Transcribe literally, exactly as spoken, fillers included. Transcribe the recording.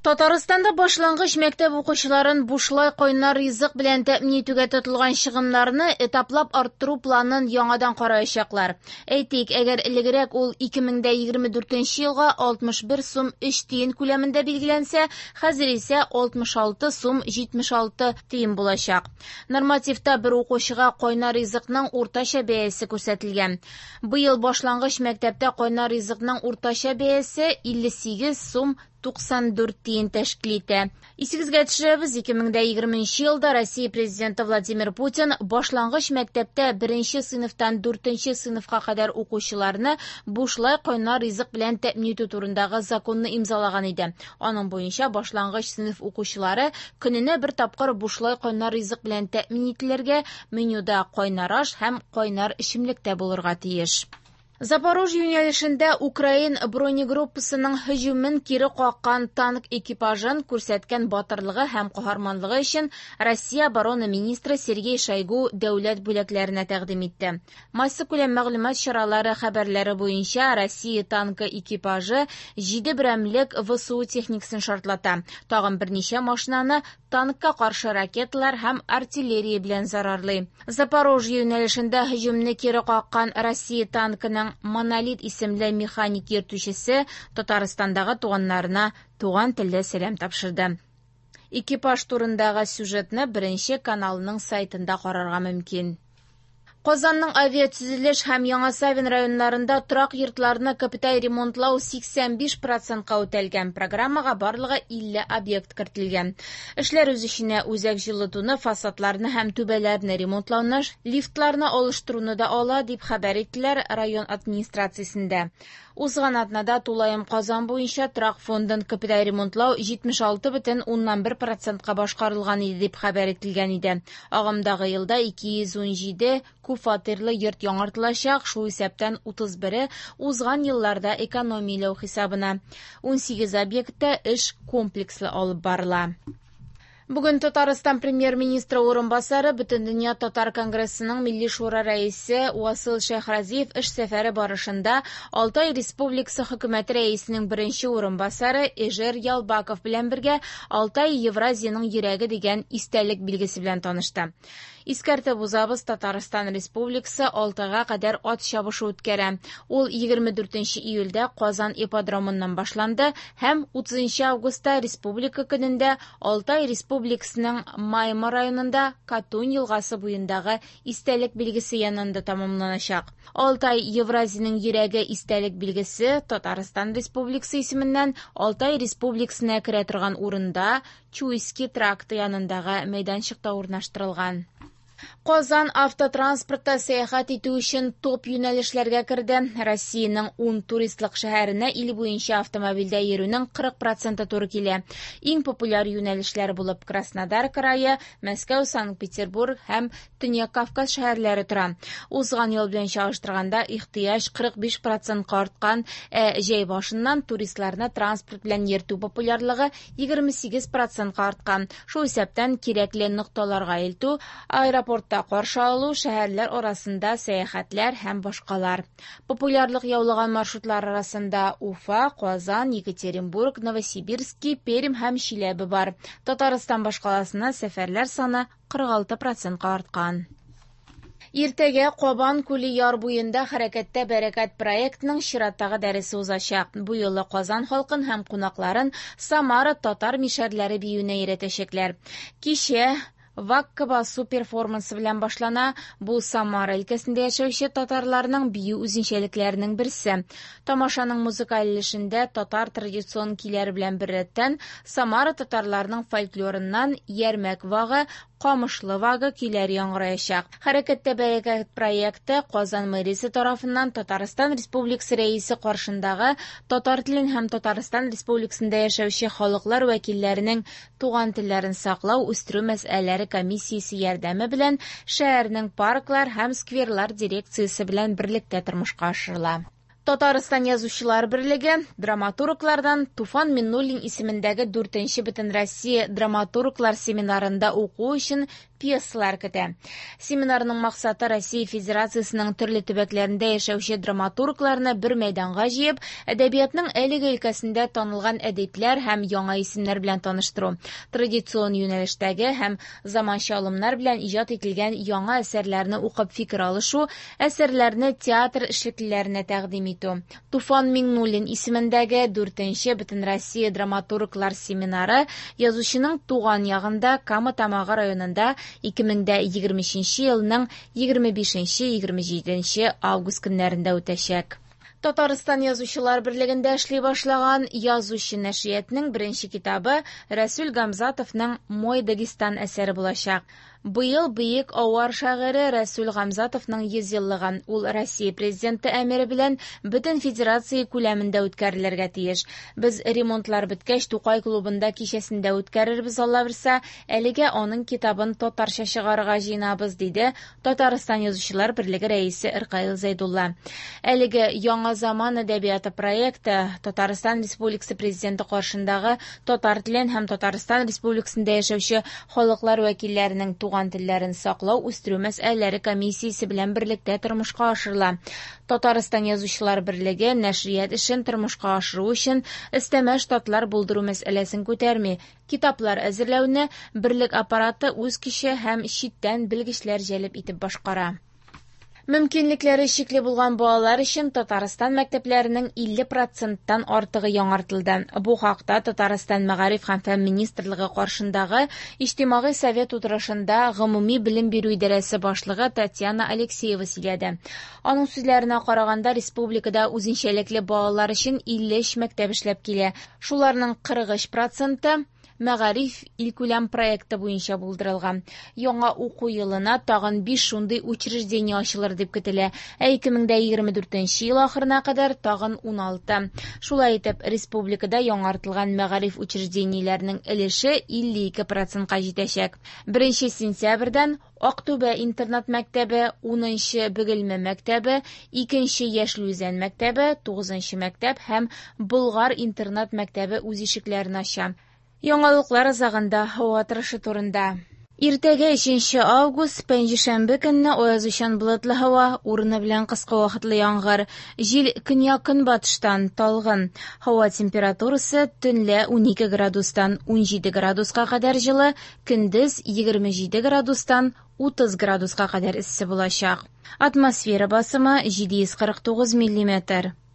Татарстанда башлангыч мәктәп укучыларын бушлай кайнар ризык белән тәэмин итүгә тотылган чыгымнарны этаплап арттыру планын яңадан караячаклар. Әйтик, әгәр элегрәк ул ике мең дә егерме дүртенче елга алтмыш бер сум өч тиен күләмендә билгеләнсә, хәзер исә алтмыш алты сум җитмеш алты тиен булачак. Нормативта бер укучыга кайнар ризыкның уртача бәясе күрсәтелгән. Быел башлангыч мәктәптә кайнар ризыкның уртача бәясе илле сигез сум туксан дүрт тиен тәшкил итә. Исегезгә төшерәбез, ике мең дә егерменче елда Россия президенты Владимир Путин башлангыч мәктәптә беренче сыйныфтан дүртенче сыйныфка кадәр укучыларны бушлай кайнар ризык белән тәэмин итү турындагы законны имзалаган иде. Аның буенча башлангыч сыйныф укучылары көненә бер тапкыр бушлай кайнар ризык белән тәэмин ителергә, менюда кайнар аш һәм кайнар эчемлек тә булырга тиеш. Запорожье юнәлешендә Украин бронегруппасының һөҗүмен кире каккан танк экипажын күрсәткән батырлыгы һәм каһарманлыгы өчен Россия оборона министры Сергей Шойгу дәүләт бүләкләренә тәкъдим итте. Массакүләм мәгълүмат чаралары хәбәрләре буенча Россия танкы экипажы җиде берәмлек В С У техникасын шартлата. Тагын берничә машинаны танкка каршы ракеталар һәм артиллерия белән зарарлый. Запорожье юнәлешендә һөҗүмне кире каккан Россия танкының Монолит исемле механик йөртүчесе Татарстандагы туганнарына туган телдә сәлам тапшырды. Экипаж турындагы сюжетны Беренче каналның сайтында карарга мөмкин. Казанның авиатөзелеш һәм Яңа Савин районнарында торак йортларны капиталь ремонтлау сиксән биш процентка үтәлгән. Программага барлыгы илле объект кертелгән. Эшләр үз эченә үзәк җылытуны, фасадларны һәм түбәләрне ремонтлауны, лифтларны алыштыруны да ала, дип хәбәр иттеләр район администрациясендә. Узган атнада тулаем Казан буенча торак фондын капиталь ремонтлау җитмеш алты бөтен уннан бер процентка башкарылган иде, дип хәбәр ителгән иде. Агымдагы елда ике йөз ун җиде күп фатирлы йорт яңартылачак, шул исәптән утыз бере узган елларда экономияләү хисабына. Ун сигез объектта эш комплекслы алып барыла. Бүген Татарстан премьер-министры урынбасары, Бөтендөнья татар конгрессының Милли шура рәисе Васил Шәйхразиев эш сәфәре барышында Алтай Республикасы хөкүмәте рәисенең беренче урынбасары Эжер Ялбаков белән бергә Алтай Евразиянең йөрәге дигән истәлек билгесе белән танышты. Искәртеп узабыз, Татарстан Республикасы Алтайга кадәр ат чабышы үткәрә. Ул егерме дүртенче июльдә Казан ипподромыннан башланды һәм утызынчы августта Республика көнендә Алтай Республикасының Майма районында Катунь елгасы буендагы истәлек билгесе янында тәмамланачак. Алтай Евразиянең йөрәге истәлек билгесе Татарстан Республикасы исеменнән Алтай Республикасына керә торган урында Чуйский тракты янындагы мәйданчыкта урнаштырылган. Казан автотранспортта сәяхәт итү өчен топ юнәлешләргә керде. Россиянең ун туристлык шәһәренә ил буенча автомобильдә йөрүнең кырык проценты туры килә. Иң популяр юнәлешләр булып Краснодар крае, Мәскәү, Санкт-Петербург һәм Төньяк Кавказ шәһәрләре тора. Узган ел белән чагыштырганда ихтыяҗ кырык биш процентка арткан, ә җәй башыннан туристларны транспорт белән йөртү популярлыгы егерме сигез процентка арткан. Шул исәптән кирәкле нокталарга илтү, аэропортта каршы алу, шәһәрләр арасында сәяхәтләр һәм башкалар. Популярлык яулаган маршрутлар арасында Уфа, Казан, Екатеринбург, Новосибирский, Пермь һәм Чиләбе бар. Татарстан башкаласына сәфәрләр саны кырык алты процентка арткан. Иртәгә Кабан күле яр буенда Хәрәкәттә бәрәкәт проектының чираттагы дәресе узачак. Бу юлы Казан халкын һәм кунакларын Самара татар мишәрләре биюенә өйрәтәчәкләр. Кичә Вакка басу перформансы белән башлана. Бу Самара өлкәсендә яшәүче татарларның бию үзенчәлекләренең берсе. Тамашаның музыкаль өлешендә татар традицион көйләре белән беррәттән Самара татарларының фольклорыннан Ярмәк вагы, Камышлы вагы көйләре яңгыраячак. Хәрәкәттә бәрәкәт проекты Казан мэриясе тарафыннан Татарстан Республикасы рәисе каршындагы татар телен һәм Татарстан Республикасында яшәүче халыклар вәкилләренең туган телләрен саклау, үстерү мәсьәләләре комиссиясе ярдәме белән шәһәрнең парклар һәм скверлар дирекциясе белән берлектә тормышка ашырыла. Татарстан Язучылар берлеге драматурглардан Туфан Миннуллин исемендәге дүртенче Бөтенроссия драматурглар семинарында уку өчен пьесалар көтә. Семинарның максаты Россия Федерациясенең төрле төбәкләрендә яшәүче драматургларны бер мәйданга җыеп, әдәбиятның әлеге өлкәсендә танылган әдипләр һәм яңа исемнәр белән таныштыру, традицион юнәлештәге һәм заманча алымнар белән иҗат ителгән яңа әсәрләрне укып фикер алышу, әсәрләрне театр эшлеклеләренә тәкъдим итү. Туфан Миңнуллин исемендәге дүртенче Бөтенроссия драматурглар семинары язучының туган ягында Кама Тамагы районында ике мең дә егерме өченче елның егерме бишенче егерме җиденче август көннәрендә үтәчәк. Татарстан Язучылар берлегендә эшли башлаган Язучы нәшриятының беренче китабы Рәсүл Гамзатовның Мой Дагестан әсәре булачак. Быел бөек авар шагыйре Рәсүл Гамзатовның йөз еллыгы. Ул Россия президенты әмере белән бөтен федерация күләмендә үткәрелергә тиеш. Без ремонтлар беткәч Тукай клубында кичәсендә үткәрербез, Алла бирсә, әлегә аның китабын татарча чыгарырга җыенабыз, диде Татарстан Язучылар берлеге рәисе Ркаил Зәйдулла. Әлеге Яңа заман әдәбияты проекты Татарстан Республикасы президенты каршындагы татар телен һәм Татарстан Республикасында яшәүче халыклар вәкилләренең туган телләрен саклау, үстерү мәсьәләләре комиссиясе белән берлектә тормышка ашырыла. Татарстан Язучылар берлеге нәшрият эшен тормышка ашыру өчен өстәмә штатлар булдыру мәсьәләсен күтәрми. Китаплар әзерләүне берлек аппараты үз көче һәм читтән белгечләр җәлеп итеп башкара. Мөмкинлекләре чикле булган балалар өчен Татарстан мәктәпләренең илле проценттан артыгы яңартылды. Бу хакта Татарстан Мәгариф һәм фән министрлыгы каршындагы Иҗтимагый совет утырышында гомуми белем бирү идарәсе башлыгы Татьяна Алексеева сөйләде. Аның сүзләренә караганда, республикада үзенчәлекле балалар өчен илле өч мәктәп эшләп килә. Шуларның кырык өч проценты Мәгариф илкүләм проекты буенча булдырылган. Яңа уку елына тагын биш шундый учреждение ачылыр дип көтелә. Ә ике мең дә егерме дүртенче ел ахырына кадәр тагын уналты. Шулай итеп, республикада яңартылган мәгариф учреждениеләренең өлеше илле ике процентка җитәчәк. Беренче сентябрьдән Актүбә интернат мәктәбе, унынчы Бөгелмә мәктәбе, икенче Яшел Үзән мәктәбе, тугызынчы мәктәп һәм Болгар интернат мәктәбе үз ишекләрен ача. Яңалыклар азагында һава торышы турында. Иртәгә өченче август, пәнҗешәмбе көнне аязучан болытлы һава, урыны белән кыска вакытлы яңгыр. Җил көньяк-көнбатыштан талгын. Һава температурасы төнлә унике градустан унҗиде градуска кадәр җылы, көндез егерме җиде градустан утыз градуска кадәр эссе булачак. Атмосфера басымы җиде йөз кырык тугыз миллиметр.